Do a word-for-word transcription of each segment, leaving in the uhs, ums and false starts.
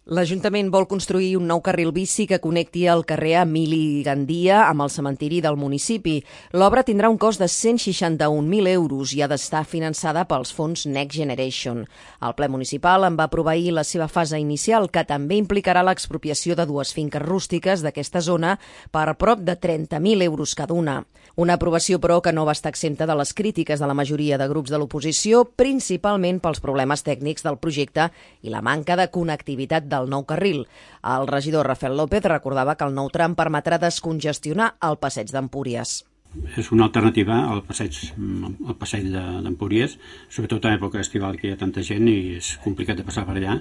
L'Ajuntament vol construir un nou carril bici que connecti el carrer Emili Gandia amb el cementiri del municipi. L'obra tindrà un cost de cent seixanta-un mil euros i ha d'estar finançada pels fons Next Generation. El ple municipal en va aprovar ahir la seva fase inicial, que també implicarà l'expropiació de dues finques rústiques d'aquesta zona per prop de trenta mil euros cada una. Una aprovació, però, que no va estar exempta de les crítiques de la majoria de grups de l'oposició, principalment pels problemes tècnics del projecte i la manca de connectivitat del nou carril. El regidor Rafael López recordava que el nou tram permetrà descongestionar el passeig d'Empúries. És una alternativa al passeig, al passeig d'Empúries, sobretot a època estival, que hi ha tanta gent i és complicat de passar per allà.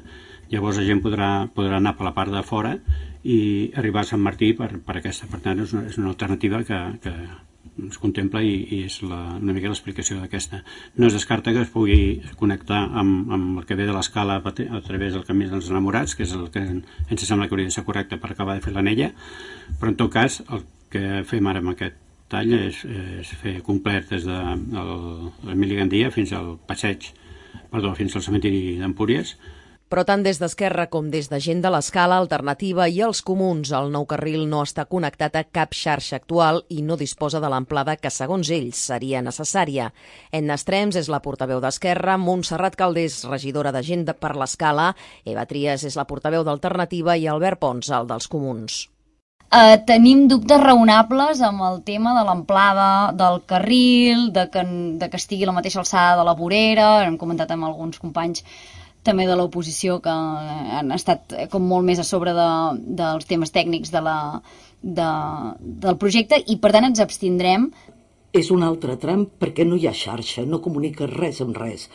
Llavors la gent podrà, podrà anar per la part de fora i arribar a Sant Martí per, per aquesta. Per tant, és una, és una alternativa que, que es contempla i, i és la, una mica l'explicació d'aquesta. No es descarta que es pugui connectar amb, amb el que ve de l'escala a través del camí dels enamorats, que és el que ens sembla que hauria de ser correcte per acabar de fer l'anella, però en tot cas el que fem ara amb aquest tall és, és fer complet des de l'Emili Gandia fins al passeig, perdó, fins al cementiri d'Empúries. Però tant des d'Esquerra com des de gent de l'Escala Alternativa i els comuns, el nou carril no està connectat a cap xarxa actual i no disposa de l'amplada que, segons ells, seria necessària. Edna Estrems és la portaveu d'Esquerra, Montserrat Caldés, regidora de gent per l'Escala, Eva Trias és la portaveu d'Alternativa i Albert Pons, el dels comuns. Uh, tenim dubtes raonables amb el tema de l'amplada del carril, de que, de que estigui a la mateixa alçada de la vorera. Hem comentat amb alguns companys també de l'oposició que han estat com molt més a sobre de, dels temes tècnics de la, de, del projecte i per tant ens abstindrem. És un altre tram perquè no hi ha xarxa, no comunica res amb res.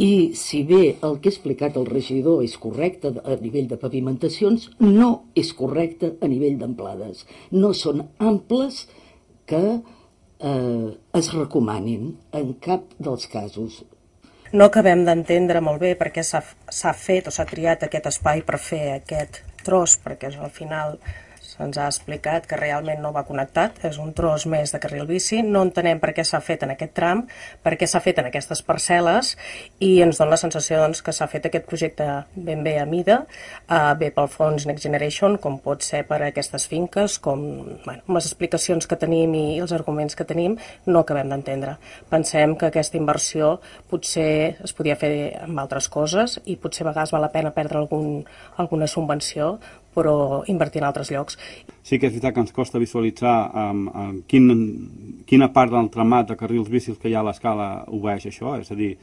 I si bé el que ha explicat el regidor és correcte a nivell de pavimentacions, no és correcte a nivell d'amplades. No són amples que eh, es recomanin en cap dels casos. No acabem d'entendre molt bé per què s'ha fet o s'ha triat aquest espai per fer aquest tros, perquè al final se'ns ha explicat que realment no va connectat, és un tros més de carril bici. No entenem per què s'ha fet en aquest tram, per què s'ha fet en aquestes parcel·les i ens dona la sensació doncs, que s'ha fet aquest projecte ben bé a mida, eh, bé pel fons Next Generation, com pot ser per aquestes finques, com bueno, amb les explicacions que tenim i els arguments que tenim, no acabem d'entendre. Pensem que aquesta inversió potser es podia fer amb altres coses i potser a vegades val la pena perdre algun, alguna subvenció, però invertir en altres llocs. Sí que és veritat que ens costa visualitzar um, um, quin, quina part del tramat de carrils bicis que hi ha a l'escala obeeix això, és a dir,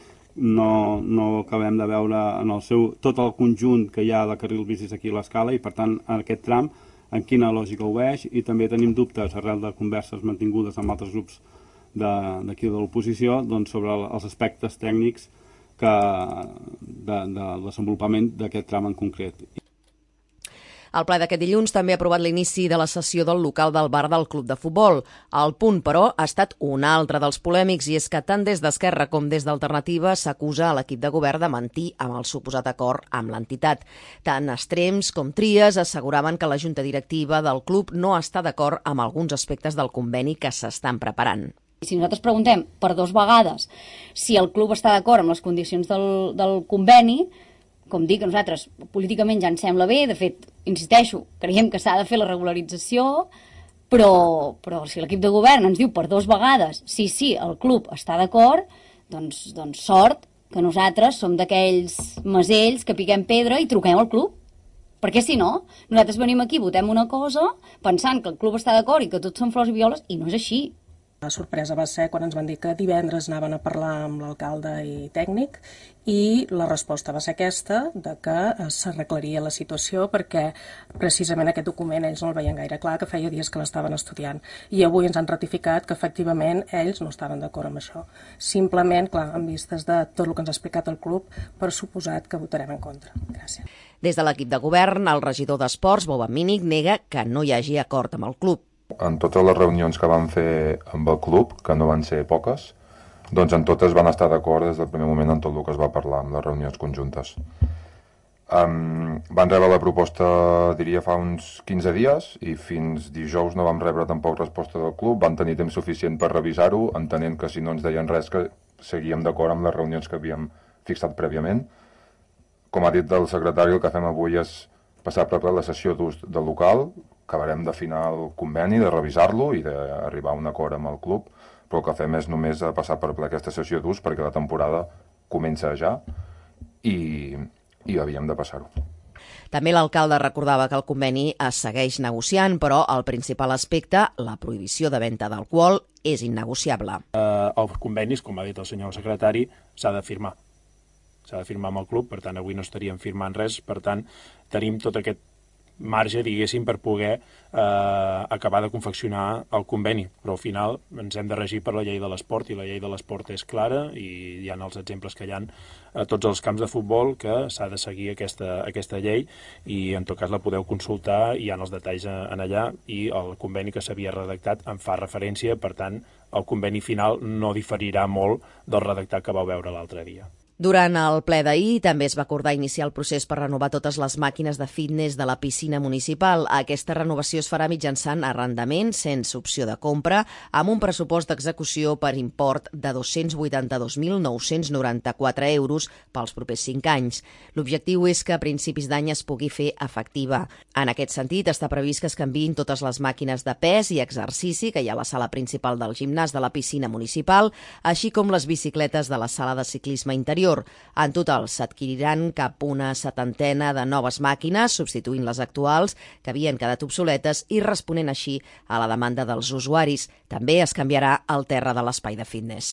no, no acabem de veure en el seu, tot el conjunt que hi ha de carrils bicis aquí a l'escala i per tant en aquest tram en quina lògica obeeix i també tenim dubtes arrel de converses mantingudes amb altres grups d'aquí de, de l'oposició doncs, sobre els aspectes tècnics que, de, del desenvolupament d'aquest tram en concret. El ple d'aquest dilluns també ha aprovat l'inici de la sessió del local del bar del Club de Futbol. El punt, però, ha estat un altre dels polèmics i és que tant des d'Esquerra com des d'Alternativa s'acusa a l'equip de govern de mentir amb el suposat acord amb l'entitat. Tant Estrems com Trias asseguraven que la junta directiva del club no està d'acord amb alguns aspectes del conveni que s'estan preparant. Si nosaltres preguntem per dues vegades si el club està d'acord amb les condicions del, del conveni, com dic, nosaltres políticament ja ens sembla bé, de fet, insisteixo, creiem que s'ha de fer la regularització, però, però si l'equip de govern ens diu per dues vegades sí, sí, el club està d'acord, doncs, doncs sort que nosaltres som d'aquells masells que piquem pedra i truquem al club. Perquè si no, nosaltres venim aquí, votem una cosa, pensant que el club està d'acord i que tots són flors i violes, i no és així. La sorpresa va ser quan ens van dir que divendres anaven a parlar amb l'alcalde i tècnic i la resposta va ser aquesta, de que s'arreglaria la situació perquè precisament aquest document ells no el veien gaire clar, que feia dies que l'estaven estudiant. I avui ens han ratificat que efectivament ells no estaven d'acord amb això. Simplement, clar, en vistes de tot el que ens ha explicat el club, per suposat que votarem en contra. Gràcies. Des de l'equip de govern, el regidor d'Esports, Bob Mínic, nega que no hi hagi acord amb el club. En totes les reunions que vam fer amb el club, que no van ser poques, doncs en totes van estar d'acord des del primer moment en tot el que es va parlar en les reunions conjuntes. Um, van rebre la proposta, diria, fa uns quinze dies i fins dijous no vam rebre tampoc resposta del club. Van tenir temps suficient per revisar-ho, entenent que si no ens deien res que seguíem d'acord amb les reunions que havíem fixat prèviament. Com ha dit el secretari, el que fem avui és passar per ple la sessió d'ús del local, acabarem d'afinar el conveni, de revisar-lo i d'arribar a un acord amb el club, però el que fem és només passar per ple aquesta sessió d'ús perquè la temporada comença ja i, i havíem de passar-ho. També l'alcalde recordava que el conveni es segueix negociant, però el principal aspecte, la prohibició de venda d'alcohol, és innegociable. Eh, el conveni, com ha dit el senyor secretari, s'ha de firmar. S'ha de firmar amb el club, per tant, avui no estaríem firmant res, per tant, tenim tot aquest marge, diguéssim, per poder eh, acabar de confeccionar el conveni, però al final ens hem de regir per la llei de l'esport i la llei de l'esport és clara i hi ha els exemples que hi ha a tots els camps de futbol que s'ha de seguir aquesta, aquesta llei i en tot cas la podeu consultar, hi ha els detalls en allà i el conveni que s'havia redactat en fa referència, per tant el conveni final no diferirà molt del redactat que vau veure l'altre dia. Durant el ple d'ahir també es va acordar iniciar el procés per renovar totes les màquines de fitness de la piscina municipal. Aquesta renovació es farà mitjançant arrendament, sense opció de compra, amb un pressupost d'execució per import de dos-cents vuitanta-dos mil nou-cents noranta-quatre euros pels propers cinc anys. L'objectiu és que a principis d'any es pugui fer efectiva. En aquest sentit, està previst que es canviïn totes les màquines de pes i exercici que hi ha a la sala principal del gimnàs de la piscina municipal, així com les bicicletes de la sala de ciclisme interior. En total, s'adquiriran cap una setantena de noves màquines, substituint les actuals, que havien quedat obsoletes i responent així a la demanda dels usuaris. També es canviarà el terra de l'espai de fitness.